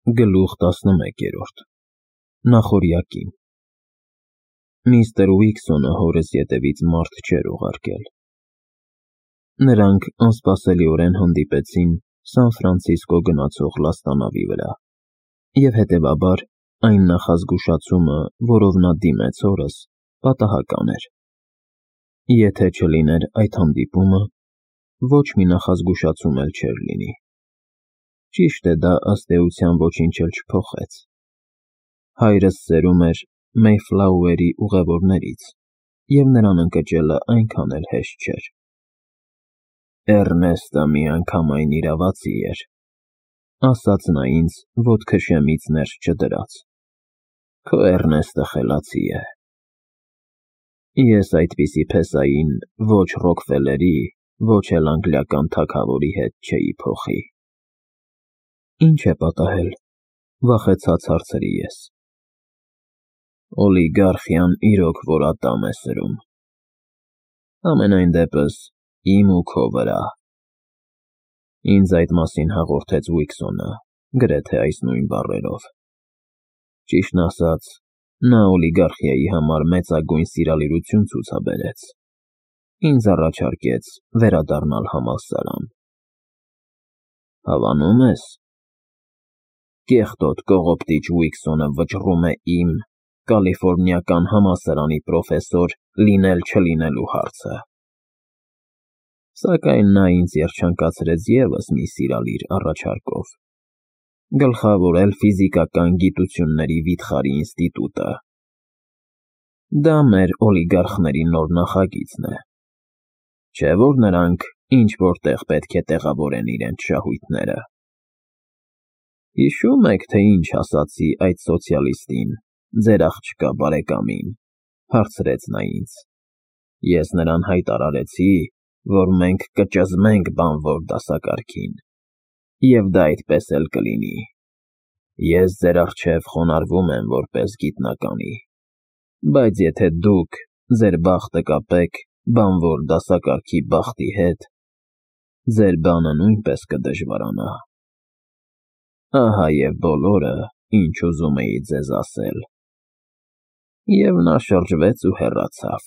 Գլուխ 11 Նախօրյակին Միստր Ուիքսոնը հորս ետևից մարդ չէր ուղարկել։ Նրանք անսպասելիորեն հանդիպեցին Սան Ֆրանցիսկո գնացող լաստանավի վրա, և հետևաբար այն նախազգուշացումը, որով նա դիմեց հորս, պատահական էր։ Եթե չլիներ այդ հանդիպումը, ոչ մի նախազգուշացում էլ չէր լինի։ Ճիշտ է, դա ըստ էության ոչինչ էլ չփոխեց։ Հայրս սերում էր Մեյֆլաուերի ուղևորներից, և նրան ընկճելը այնքան էլ հեշտ չէր։ Էռնեստը միանգամայն իրավացի էր, ասաց նա ինձ, ոտքը շեմից ներս չդրած։ Քո Էռնեստը խելացի է։ Ես այդպիսի փեսային ոչ Ռոքֆելլերի, ոչ էլ անգլիական թագավորի հետ չէի փոխի։ Ինչ է պատահել, վախեցած հարցրի ես։ Օլիգարխիան իրոք որ ատամ է սրում։ Համենայն դեպս իմ ու քո վրա։ Ինձ այդ մասին հաղորդեց Ուիքսոնը, գրեթե այս նույն բառերով։ Ճիշտն ասած, նա օլիգարխիայի համար մեծագույն սիրալիրություն ցուցաբերեց։ Ինձ առաջարկեց վերադառնալ համալսարան։ Հավանում ես։ Կեղտոտ կողոպտիչ Ուիքսոնը վճռում է իմ Կալիֆոռնիական համալսարանի պրոֆեսոր լինել-չլինելու հարցը։ Սակայն նա ինձ երջանկացրեց ևս մի սիրալիր առաջարկով՝ գլխավորել ֆիզիկական գիտությունների վիթխարի ինստիտուտը։ Դա մեր օլիգարխների նոր նախագիծն է։ Չէ՞ որ նրանք ինչ-որ տեղ պետք է տեղավորեն իրենց շահույթները։ Հիշո՞ւմ եք, թե ինչ ասացի այդ սոցիալիստին, ձեր աղջկա բարեկամին, հարցրեց նա ինձ։ Ես նրան հայտարարեցի, որ մենք կճզմենք բանվոր դասակարգին, և դա այդպես էլ կլինի։ Ես ձեր առջև խոնարհվում եմ որպես գիտնականի, բայց եթե դուք ձեր բախտը կապեք բանվոր դասակարգի բախտի հետ, ձեր բանը նույնպես կդժվարանա։ Ահա և բոլորը, ինչ ուզում էի ձեզ ասել։ Եվ նա շրջվեց ու հեռացավ։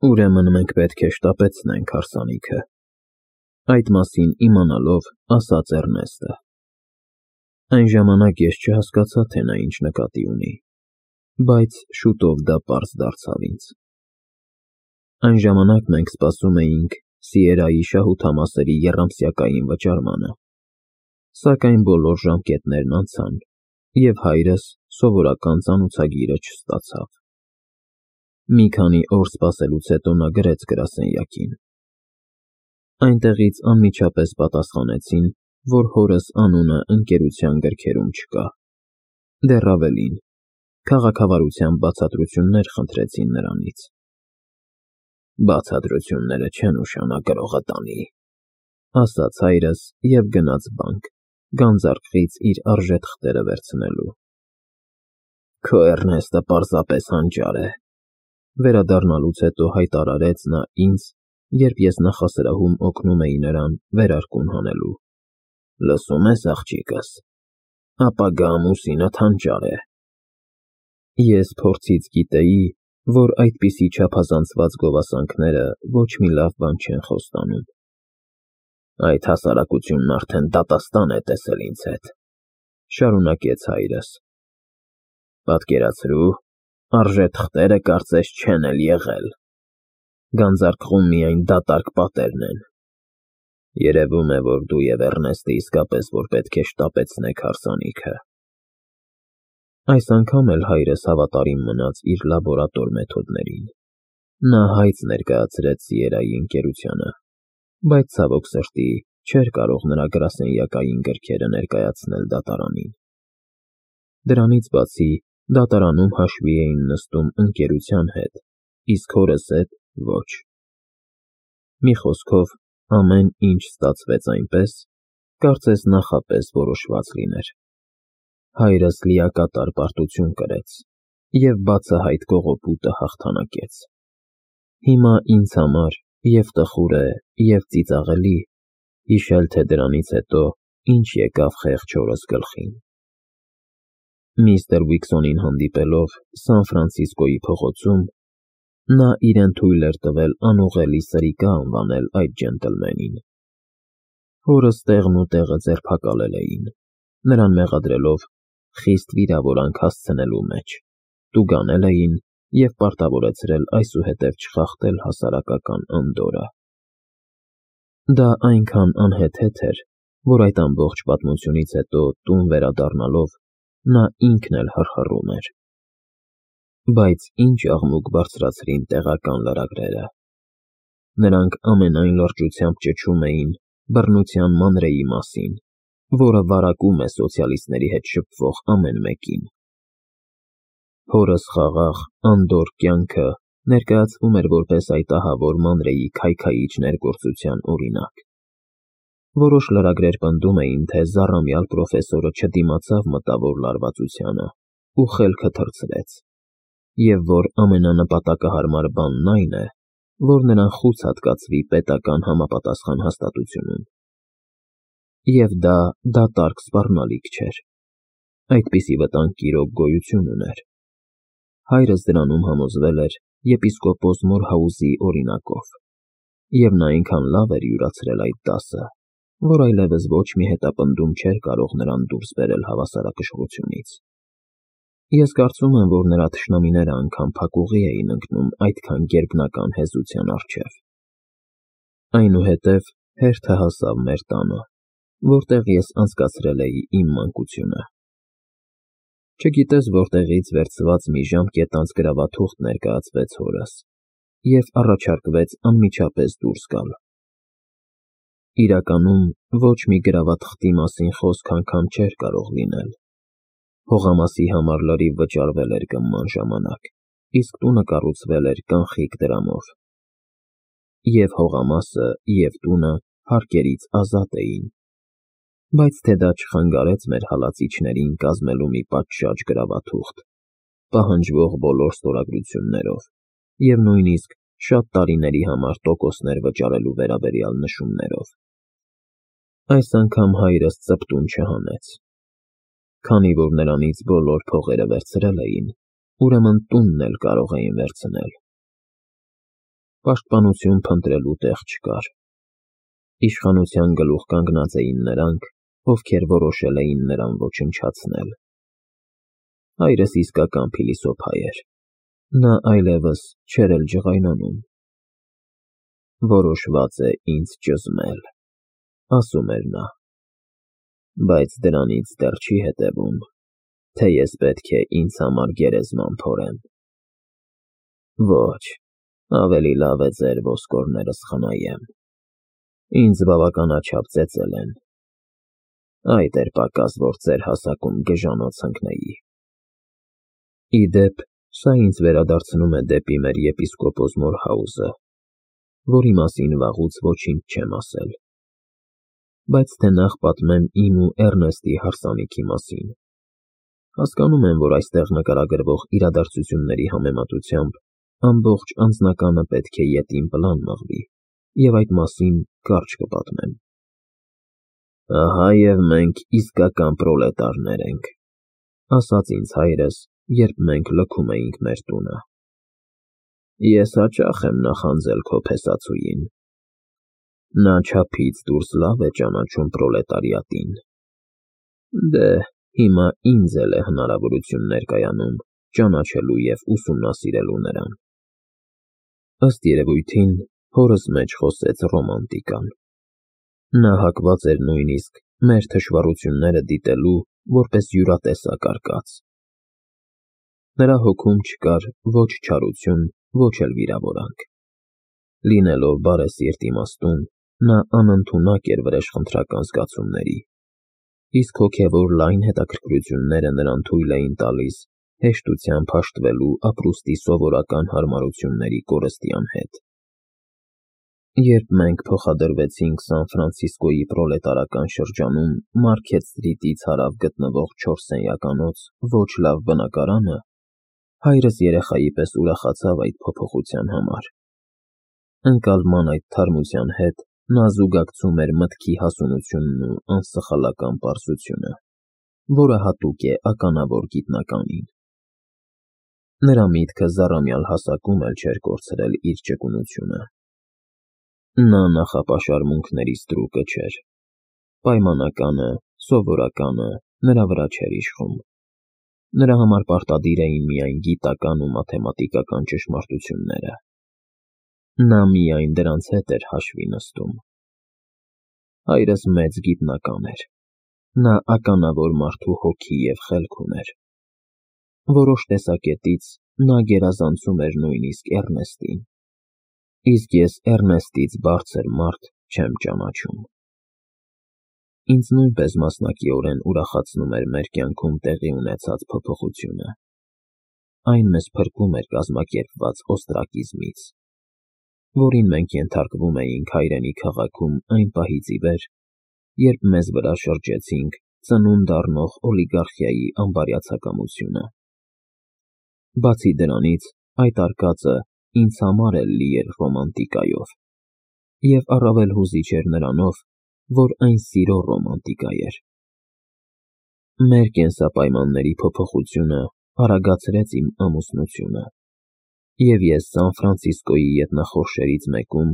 Ուրեմն մենք պետք է շտապեցնենք հարսանիքը, այդ մասին իմանալով ասաց Էռնեստը։ Այն ժամանակ ես չհասկացա, թե նա ինչ նկատի ունի, բայց շուտով դա պարզ դարձավ ինձ։ Այն ժամանակ մենք սպասում էինք Սիերայի շահութամասերի եռամսյակային վճարմանը, սակայն բոլոր ժամկետներն անցան, և հայրս սովորական ծանուցագիրը չստացավ։ Մի քանի օր սպասելուց հետո նա գրեց գրասենյակին։ Այնտեղից անմիջապես պատասխանեցին, որ հորս անունը ընկերության գրքերում չկա։ Դեռ ավելին, քաղաքավարության բացատրություններ խնդրեցին նրանից։ Բացատրությունները չեն ուշանագրողը տանի, ասաց հայրս և գնաց բանկ, գանձարկղից իր արժեթղթերը վերցնելու։ Քո Էռնեստը պարզապես հանճար է, վերադառնալուց հետո հայտարարեց նա ինձ, երբ ես նախասրահում օգնում էի նրան վերարկուն հանելու։ Լսում ես, աղջիկս, ապագա ամուսինդ հանճար է։ Ես փորձից գիտեի, որ այդպիսի չափազանցված գովասանքները ոչ մի լավ բան չեն խոստանում։ Այդ հասարակությունն արդեն դատաստան է տեսել ինձ հետ, շարունակեց հայրս։ Պատկերացրու, արժեթղթերը կարծես չեն էլ եղել։ Գանձարկղում միայն դատարկ պատերն են։ Երևում է, որ դու և Էռնեստը իսկապես որ պետք է շտապեցնեք հարսանիքը։ Այս անգամ էլ հայրս հավատարիմ մնաց իր լաբորատոր մեթոդներին։ Նա հայց ներկայացրեց Սիերայի ընկերությանը, բայց ցավոք սրտի չէր կարող նրա գրասենյակային գրքերը ներկայացնել դատարանին։ Դրանից բացի, դատարանում հաշվի էին նստում ընկերության հետ, իսկ հորս հետ ոչ։ Մի խոսքով, ամեն ինչ ստացվեց այնպես, կարծես նախապես որոշված լիներ։ Հայրս լիակատար պարտություն կրեց և բացահայտ կողոպուտը հաղթանակեց։ Հիմա ինձ համար և տխուր է, և ծիծաղելի հիշել, թե դրանից հետո ինչ եկավ խեղճ հորս գլխին։ Միստր Վիքսոնին հանդիպելով Սան Ֆրանցիսկոյի փողոցում, նա իրեն թույլ էր տվել անուղելի սրիկա անվանել այդ ջենտլմենին։ Հորս տեղն ու տեղը ձերբակալել էին, նրան մեղադրելով խիստ վիրավորանք հասցնելու մեջ, տուգանել էին և պարտավորեցրել այսուհետև չխախտել հասարակական անդորրը։ Դա այնքան անհեթեթ էր, որ այդ ամբողջ պատմությունից հետո տուն վերադառնալով նա ինքն էլ հռհռում էր։ Բայց ինչ աղմուկ բարձրացրին տեղական լրագրերը։ Նրանք ամենայն լրջությամբ ճչում էին բռնության մանրեի մասին, որը վարակում է սոցիալիստների հետ շփվող ամեն մեկին։ Հորս խաղաղ, անդորր կյանքը ներկայացվում էր որպես այդ ահավոր մանրեի քայքայիչ ներգործության օրինակ։ Որոշ լրագրեր պնդում էին, թե զառամյալ պրոֆեսորը չդիմացավ մտավոր լարվածությանը ու խելքը թռցրեց, և որ ամենանպատակահարմար բանն այն է, որ նրան խուց հատկացվի պետական համապատասխան հաստատությունում։ Եվ դա դատարկ սպառնալիք չէր։ Այդպիսի վտանգ իրոք գոյություն ուներ։ Հայրս դրանում համոզվել էր եպիսկոպոս Մորհաուզի օրինակով, և նա այնքան լավ էր յուրացրել այդ դասը, որ այլևս ոչ մի հետապնդում չէր կարող նրան դուրս բերել հավասարակշռությունից։ Ես կարծում եմ, որ նրա թշնամիները անգամ փակուղի էին ընկնում այդքան գերբնական հեզության առջև։ Այնուհետև հերթը հասավ մեր տանը, որտեղ ես անցկացրել էի իմ մանկությունը։ Չգիտես որտեղից վերցված մի ժամկետանց գրավաթուղթ ներկայացվեց հորս և առաջարկվեց անմիջապես դուրս գալ։ Իրականում ոչ մի գրավաթղթի մասին խոսք անգամ չէր կարող լինել։ Հողամասի համար լրիվ վճարվել էր գումման ժամանակ, իսկ տունը կառուցվել էր կանխիկ դրամով։ Եվ հողամասը, և տունը հարկերից ազատ էին։ Բայց թե դա չխանգարեց մեր հալածիչներին կազմելու մի պատշաճ գրավաթուղթ, պահանջվող բոլոր ստորագրություններով և նույնիսկ շատ տարիների համար տոկոսներ վճարելու վերաբերյալ նշումներով։ Այս անգամ հայրս ծպտուն չհանեց։ Քանի որ նրանից բոլոր փողերը վերցրել էին, ուրեմն տունն էլ կարող էին վերցնել։ Պաշտպանություն փնտրելու տեղ չկար։ Իշխանության գլուխ կանգնած էին նրանք, ովքեր որոշել էին նրան ոչնչացնել։ Հայրս իսկական փիլիսոփա էր։ Նա այլևս չէր էլ ջղայնանում։ Որոշված է ինձ ճզմել, ասում էր նա, բայց դրանից դեռ չի հետևում, թե ես պետք է ինձ համար գերեզման փորեմ։ Ոչ, ավելի լավ է ձեր ոսկորներս խնայեմ։ Ինձ բավականաչափ ծեծել են։ Այդ էր պակաս, որ ձեր հասակում գժանոց ընկնեի։ Ի դեպ, սա ինձ վերադարձնում է դեպի մեր եպիսկոպոս Մորհաուզը, որի մասին վաղուց ոչինչ չեմ ասել։ Բայց թե նախ պատմեմ իմ ու Էռնեստի հարսանիքի մասին։ Հասկանում եմ, որ այստեղ նկարագրվող իրադարձությունների համեմատությամբ ամբողջ անձնականը պետք է ետին պլան մղվի, և այդ մասին կարճ կպատմեմ։ Ահա և մենք իսկական պրոլետարներ ենք, ասաց ինձ հայրս, երբ մենք լքում էինք մեր տունը։ Ես հաճախ եմ նախանձել քո փեսացուին։ Նա չափից դուրս լավ է ճանաչում պրոլետարիատին։ Դե, հիմա ինձ էլ է հնարավորություն ներկայանում ճանաչելու և ուսումնասիրելու նրան։ Ըստ երևույթին, հորս մեջ խոսեց ռոմանտիկան։ Նա հակված էր նույնիսկ մեր թշվառությունները դիտելու որպես յուրատեսակ արկած։ Նրա հոգում չկար ոչ չարություն, ոչ էլ վիրավորանք։ Լինելով բարեսիրտ իմաստուն, նա անընդունակ էր վրեժխնդրական զգացումների, իսկ հոգևոր լայն հետաքրքրությունները նրան թույլ էին տալիս հեշտությամբ հաշտվելու ապրուստի սովորական հարմարությունների կորստյան հետ։ Երբ մենք փոխադրվեցինք Սան Ֆրանցիսկոյի պրոլետարական շրջանում Մարքեթ Սթրիթից հարավ գտնվող 4 սենյականոց ոչ լավ բնակարանը, հայրս երեխայի պես ուրախացավ այդ փոփոխության համար։ Ընկալման այդ թարմության հետ Նա զուգակցում էր մտքի հասունությունն ու անսխալական պարզությունը, որը հատուկ է ականավոր գիտնականին։ Նրա միտքը զառամյալ հասակում էլ չէր կորցրել իր ճկունությունը։ Նա նախապաշարմունքների ստրուկը չէր։ Պայմանականը, սովորականը նրա վրա չէր իշխում։ Նրա համար պարտադիր էին միայն գիտական ու մաթեմատիկական ճշմարտությունները։ Նա միայն դրանց հետ էր հաշվի նստում։ Հայրս մեծ գիտնական էր։ Նա ականավոր մարդու հոգի և խելք ուներ։ Որոշ տեսակետից նա գերազանցում էր նույնիսկ Էռնեստին, իսկ ես Էռնեստից բարձր մարդ չեմ ճանաչում։ Ինձ նույնպես մասնակիորեն ուրախացնում էր մեր կյանքում տեղի ունեցած փոփոխությունը։ Այն մեզ փրկում էր կազմակերպված օստրակիզմից, որին մենք ենթարկվում էինք հայրենի քաղաքում այն պահից ի վեր, երբ մեզ վրա շրջեցինք ծնունդ առնող օլիգարխիայի անբարյացակամությունը։ Բացի դրանից, այդ արկածը ինձ համար էլ լի էր ռոմանտիկայով, և առավել հուզիչ էր նրանով, որ այն սիրո ռոմանտիկա էր։ Մեր կենսապայմանների փոփոխությունը արագացրեց իմ ամուսնությունը, և ես Սան Ֆրանցիսկոյի ետնախորշերից մեկում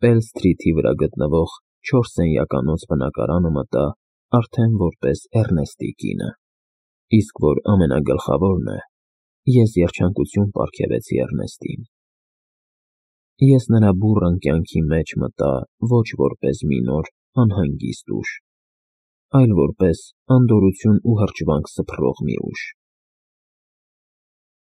Պել Սթրիթի վրա գտնվող 4 սենյականոց բնակարանը մտա արդեն որպես Էռնեստի կինը, իսկ որ ամենագլխավորն է, ես երջանկություն պարգևեցի Էռնեստին։ Ես նրա բուռն կյանքի մեջ մտա ոչ որպես մի նոր անհանգիստ ուժ, այլ որպես անդորրություն ու հրճվանք սփռող մի ուժ։